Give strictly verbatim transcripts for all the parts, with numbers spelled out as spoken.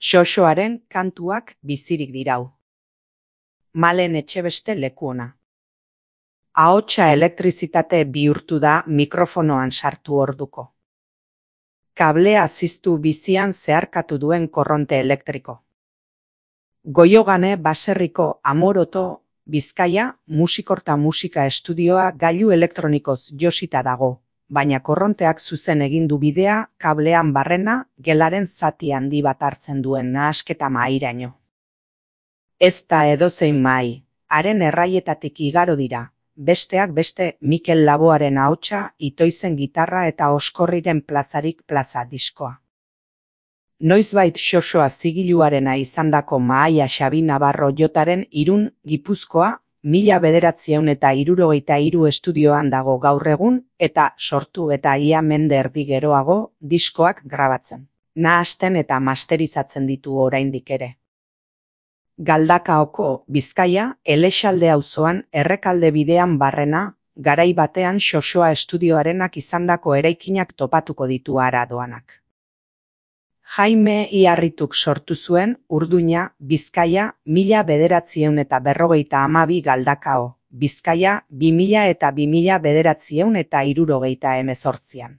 Xoxoaren kantuak bizirik dirau. Malen Etxebeste lekuona. Ahotsa elektrizitate bihurtu da mikrofonoan sartu orduko. Kablea ziztu bizian zeharkatu duen korronte elektriko. Goiogane baserriko Amoroto, Bizkaia, musikorta musika estudioa gailu elektronikoz josita dago, baina korronteak zuzen egin du bidea kablean barrena gelaren zati handi bat hartzen duen nahasketa mahairaino. Ez da edozein mahai, haren erraietatik igaro dira, besteak beste Mikel Laboaren ahotsa, Itoizen gitarra eta Oskorriren plazarik plaza diskoa. Noizbait Xoxoa zigiluarena izandako mahaia Xabi Navarro Jotaren Irun, Gipuzkoa, mila bederatziehun eta hirurogeita hiru estudioan dago gaur egun eta sortu eta ia mende erdi geroago diskoak grabatzen, nahasten eta masterizatzen ditu oraindik ere. Galdakaoko, Bizkaia, Elexalde auzoan Errekalde bidean barrena, garai batean Xoxoa estudioarenak izandako eraikinak topatuko ditu hara doanak. Jaime Iarrituk sortu zuen Urduña, Bizkaia, mila bederatziehun eta berrogeita hamabi Galdakao, Bizkaia, bi mila eta bi mila bederatziehun eta hirurogeita hemezortzian.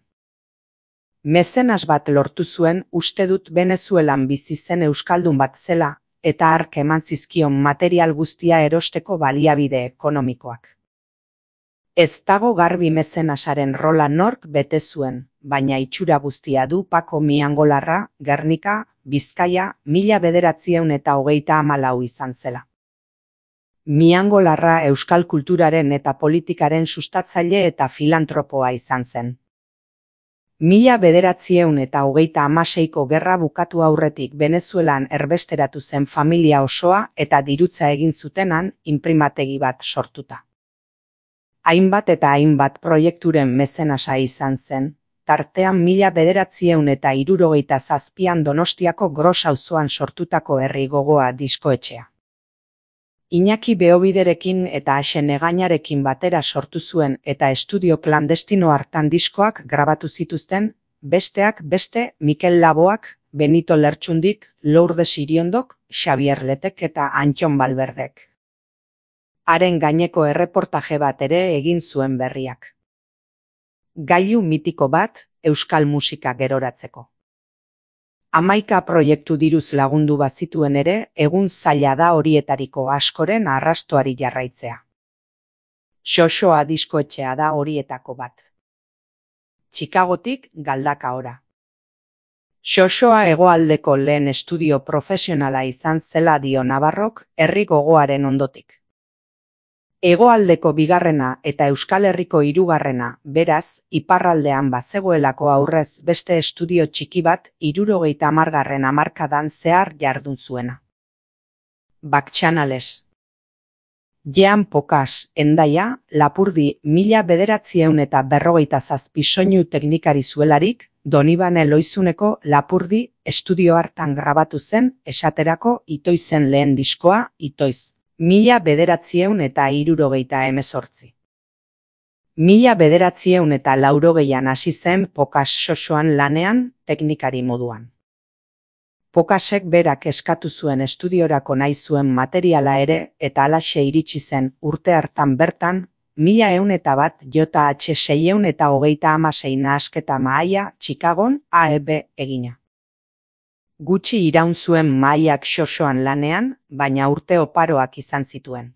Mezenas bat lortu zuen uste dut Venezuelan bizi zen euskaldun bat zela, eta hark eman zizkion material guztia erosteko baliabide ekonomikoak. Ez dago garbi mezenasaren rola nork bete zuen, baina itxura guztia du Pako Miangolarra, Gernika, Bizkaia, mila bederatziehun eta hogeita hamalau izan zela. Miangolarra euskal kulturaren eta politikaren sustatzaile eta filantropoa izan zen. Mila bederatziehun eta hogeita hamaseiko gerra bukatu aurretik Venezuelan erbesteratu zen familia osoa eta dirutza egin zutenan inprimategi bat sortuta. Hainbat eta hainbat proiekturen mezenasa izan zen, tartean mila bederatziehun eta hirurogeita zazpian Donostiako Gros auzoan sortutako Herri Gogoa diskoetxea. Iñaki Beobiderekin eta Axe Negañarekin batera sortu zuen eta estudio klandestino hartan diskoak grabatu zituzten, besteak beste Mikel Laboak, Benito Lertxundik, Lourdes Iriondok, Xabier Letek eta Antxon Balberdek. Haren gaineko erreportaje bat ere egin zuen berriak. Gailu mitiko bat, euskal musika geroratzeko. Hamaika proiektu diruz lagundu bazituen ere, egun zaila da horietariko askoren arrastoari jarraitzea. Xoxoa diskoetxea da horietako bat. Chicagotik Galdakaora. Xoxoa hegoaldeko lehen estudio profesionala izan zela dio Navarrok Herri Gogoaren ondotik. Hegoaldeko bigarrena eta Euskal Herriko hirugarrena, beraz, iparraldean bazegoelako aurrez beste estudio txiki bat hirurogeita hamargarren hamarkadan zehar jardun zuena. Baktxanales. Jean Pokas, Hendaia, Lapurdi, mila bederatziehun eta berrogeita zazpi soinu teknikari zuelarik, Donibane Loizuneko Lapurdi estudio hartan grabatu zen esaterako Itoizen lehen diskoa, Itoiz. Mila bederatziehun eta hirurogeita hemezortzi. Mila bederatziehun eta laurogeian hasi zen Pokas Xoxoan lanean teknikari moduan. Pokasek berak eskatu zuen estudiorako nahi zuen materiala ere eta halaxe iritsi zen urte hartan bertan, mila ehun eta bat J H seiehun eta hogeita hamasei nahasketa mahaia Chicagon A E B egina. Gutxi iraun zuen mahaiak Xoxoan lanean, baina urte oparoak izan zituen.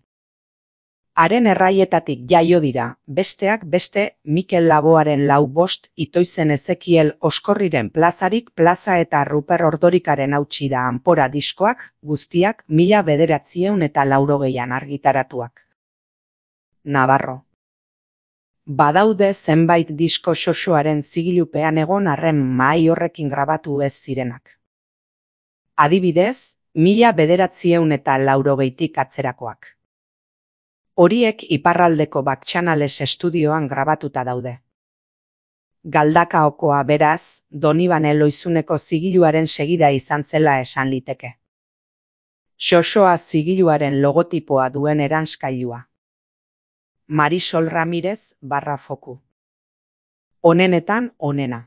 Haren erraietatik jaio dira, besteak beste Mikel Laboaren lau bost, Itoizen Ezekiel Oskorriren plazarik plaza eta Ruper Ordorikaren hautsi da Anpora diskoak, guztiak mila bederatziehun eta laurogeian argitaratuak. Navarro. Badaude zenbait disko Xoxoaren zigilupean egon arren mahai horrekin grabatu ez zirenak. Adibidez, mila bederatziehun eta laurogeitik atzerakoak. Horiek iparraldeko Baktxanales estudioan grabatuta daude. Galdakaokoa beraz, Donibane Loizuneko zigiluaren segida izan zela esan liteke. Xoxoa zigiluaren logotipoa duen eranskailua. Marisol Ramirez barra foku. Onenetan onena.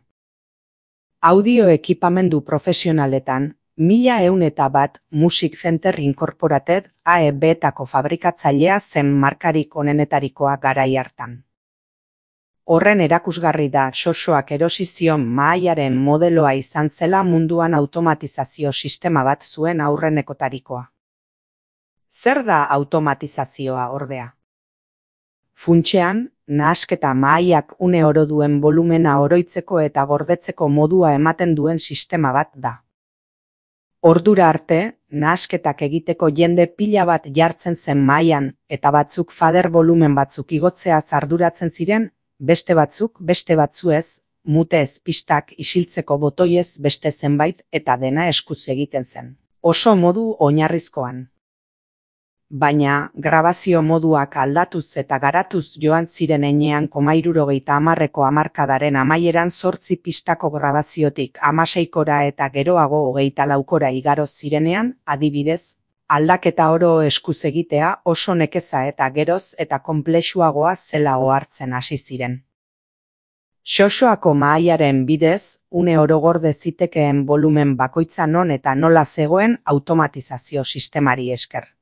Audio ekipamendu profesionaletan, Mila ehun eta bat Music Center Incorporated A E B-etako fabrikatzailea zen markarik onenetarikoa garai hartan. Horren erakusgarri da Xoxoak erosi zion mahaiaren modeloa izan zela munduan automatizazio sistema bat zuen aurrenekotarikoa. Zer da automatizazioa ordea? Funtsean, nahasketa mahaiak une oro duen volumena oroitzeko eta gordetzeko modua ematen duen sistema bat da. Ordura arte, nahasketak egiteko jende pila bat jartzen zen mahaian eta batzuk fader volumen batzuk igotzeaz arduratzen ziren, beste batzuk beste batzuez, mutez pistak isiltzeko botoiez beste zenbait eta dena eskuz egiten zen. Oso modu oinarrizkoan. Baina, grabazio moduak aldatuz eta garatuz joan ziren heinean koma hirurogeita hamarreko hamarkadaren amaieran zortzi pistako grabaziotik hamaseikora eta geroago hogeita laukora igaro zirenean, adibidez, aldaketa oro eskuz egitea oso nekeza eta geroz eta konplexuagoa zela ohartzen hasi ziren. Xoxoako mahaiaren bidez, une oro gorde zitekeen volumen bakoitza non eta nola zegoen automatizazio sistemari esker.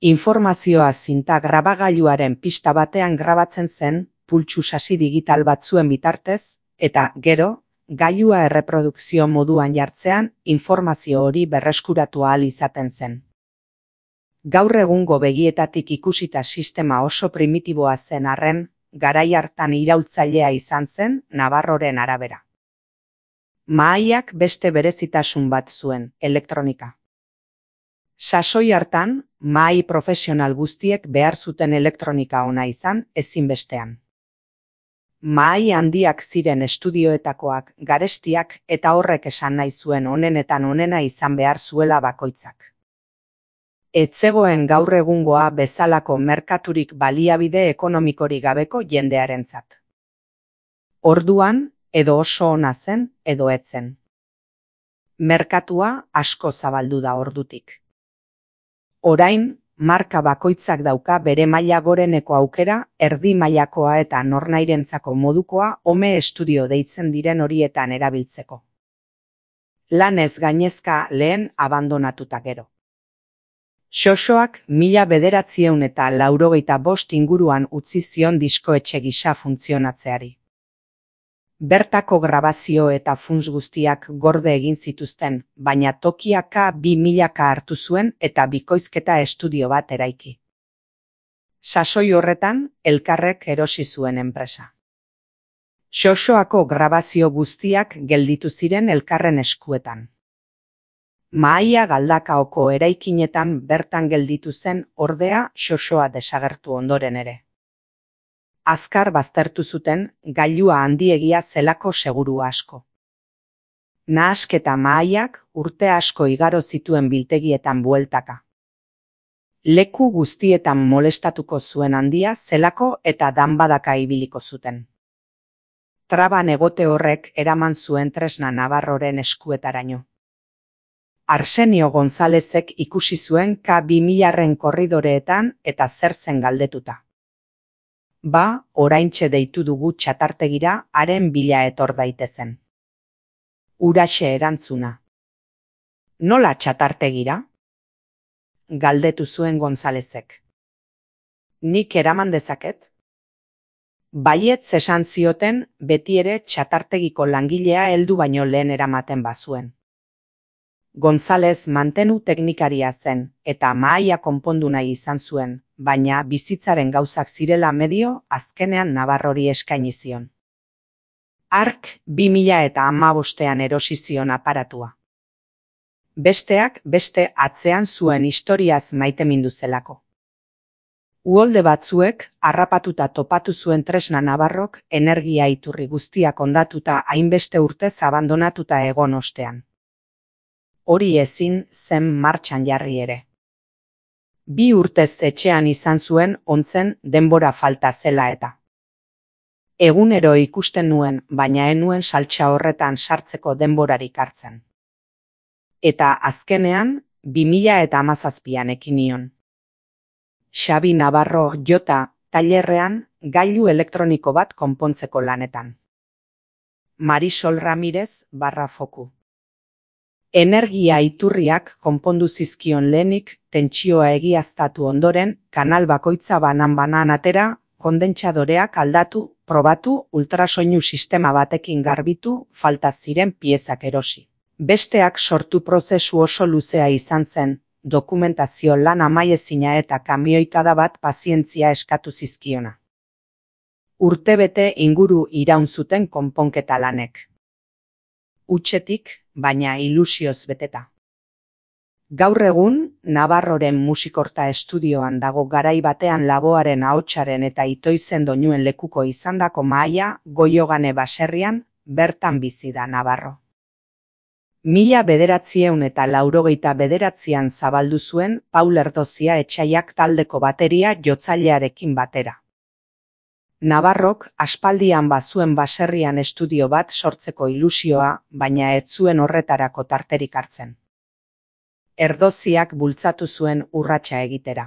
Informazioa zinta grabagailuaren pista batean grabatzen zen, pultsu sasi digital batzuen bitartez, eta gero, gailua erreprodukzio moduan jartzean, informazio hori berreskuratu ahal izaten zen. Gaur egungo begietatik ikusita sistema oso primitiboa zen arren, garai hartan iraultzailea izan zen Navarroren arabera. Mahaiak beste berezitasun bat zuen, elektronika. Sasoi hartan, mahai profesional guztiek behar zuten elektronika ona izan ezinbestean. Mahai handiak ziren estudioetakoak, garestiak eta horrek esan nahi zuen onenetan onena izan behar zuela bakoitzak. Ez zegoen gaur egungoa bezalako merkaturik baliabide ekonomikorik gabeko jendearentzat. Orduan, edo oso ona zen, edo ez zen. Merkatua asko zabaldu da ordutik. Orain, marka bakoitzak dauka bere maila goreneko aukera, erdi mailakoa eta nornairentzako modukoa home estudio deitzen diren horietan erabiltzeko. Lanez gainezka lehen abandonatuta gero. Xoxoak mila bederatziehun eta laurogeita bost inguruan utzi zion diskoetxe gisa funtzionatzeari. Bertako grabazio eta funts guztiak gorde egin zituzten, baina Tokiaka bi milaka hartu zuen eta bikoizketa estudio bat eraiki. Sasoi horretan, elkarrek erosi zuen enpresa. Xoxoako grabazio guztiak gelditu ziren elkarren eskuetan. Mahaia Galdakaoko eraikinetan bertan gelditu zen ordea Xoxoa desagertu ondoren ere. Azkar baztertu zuten gailua handiegia zelako seguru asko. Nahasketa mahaiak urte asko igaro zituen biltegietan bueltaka. Leku guztietan molestatuko zuen handia zelako eta danbadaka ibiliko zuten. Traban egote horrek eraman zuen tresna Navarroren eskuetaraino. Arsenio Gonzalezek ikusi zuen K bi milaren korridoreetan eta zer zen galdetuta. Ba, oraintxe deitu dugu txatartegira haren bila etor daitezen. Huraxe erantzuna. Nola txatartegira? Galdetu zuen Gonzalezek. Nik eraman dezaket? Baietz esan zioten beti ere txatartegiko langilea heldu baino lehen eramaten bazuen. Gonzalez mantenu teknikaria zen eta mahaia konpondu nahi izan zuen, baina bizitzaren gauzak zirela medio azkenean Navarrori eskaini zion. Hark bi mila eta hamabostean erosi zion aparatua. Besteak beste atzean zuen historiaz maitemindu zelako. Uholde batzuek harrapatuta topatu zuen tresna Navarrok energia iturri guztiak hondatuta hainbeste urtez abandonatuta egon ostean. Hori ezin zen martxan jarri ere. Bi urtez etxean izan zuen ontzen denbora falta zela eta. Egunero ikusten nuen, baina enuen saltsa horretan sartzeko denborarik hartzen. Eta azkenean, bi mila eta hamazazpian ekin nion. Xabi Navarro jota tailerrean gailu elektroniko bat konpontzeko lanetan. Marisol Ramirez barra foku. Energia iturriak konpondu zizkion lehenik, tentsioa egiaztatu ondoren, kanal bakoitza banan-banan atera, kondentsadoreak aldatu, probatu, ultrasoinu sistema batekin garbitu, falta ziren piezak erosi. Besteak sortu prozesu oso luzea izan zen, dokumentazio lan amaiezina eta kamioikada bat pazientzia eskatu zizkiona. Urtebete inguru iraun zuten konponketa lanek. Hutsetik, baina ilusioz beteta. Gaur egun, Navarroren musikorta estudioan dago garai batean laboaren ahotsaren eta itoizen doinuen lekuko izandako mahaia Goiogane baserrian, bertan bizi da Navarro. Mila bederatziehun eta laurogeita bederatzian zabaldu zuen Paul Erdozia Etsaiak taldeko bateria jotzailearekin batera. Navarrok aspaldian bazuen baserrian estudio bat sortzeko ilusioa, baina ez zuen horretarako tarterik hartzen. Erdoziak bultzatu zuen urratsa egitera.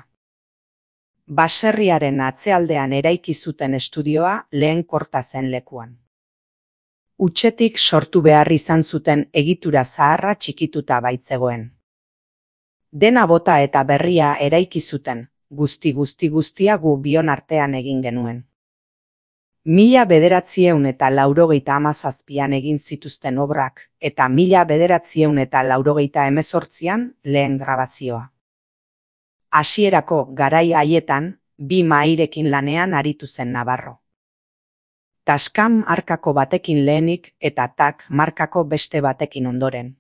Baserriaren atzealdean eraiki zuten estudioa lehen korta zen lekuan. Hutsetik sortu behar izan zuten egitura zaharra txikituta baitzegoen. Dena bota eta berria eraiki zuten, guzti guzti guztia gu bion artean egin genuen. Mila bederatziehun eta laurogeita hamazazpian egin zituzten obrak, eta mila bederatziehun eta laurogeita hemezortzian lehen grabazioa. Hasierako garai haietan, bi mahairekin lanean aritu zen Navarro. Tascam markako batekin lehenik eta Tak markako beste batekin ondoren.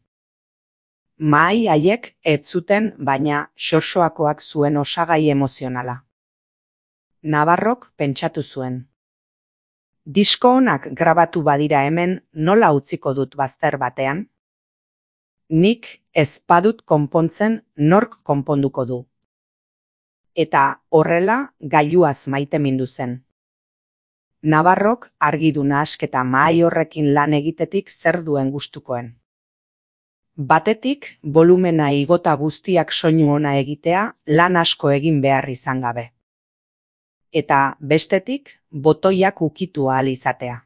Mahai haiek ez zuten, baina xoxoakoak zuen osagai emozionala. Navarrok pentsatu zuen. Disko onak grabatu badira hemen, nola utziko dut bazter batean? Nik ez badut konpontzen, nork konponduko du. Eta horrela gailuaz maitemindu zen. Navarrok argi du nahasketa mahai horrekin lan egitetik zer duen gustukoen. Batetik, volumena igota guztiak soinu ona egitea, lan asko egin behar izan gabe. Eta bestetik, botoiak ukitu ahal izatea.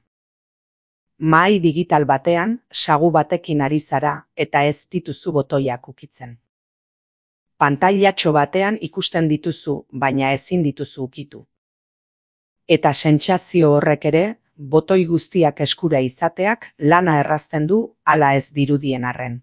Mahai digital batean, sagu batekin ari zara eta ez dituzu botoiak ukitzen. Pantailatxo batean ikusten dituzu, baina ezin dituzu ukitu. Eta sentsazio horrek ere, botoi guztiak eskura izateak lana errazten du hala ez dirudien arren.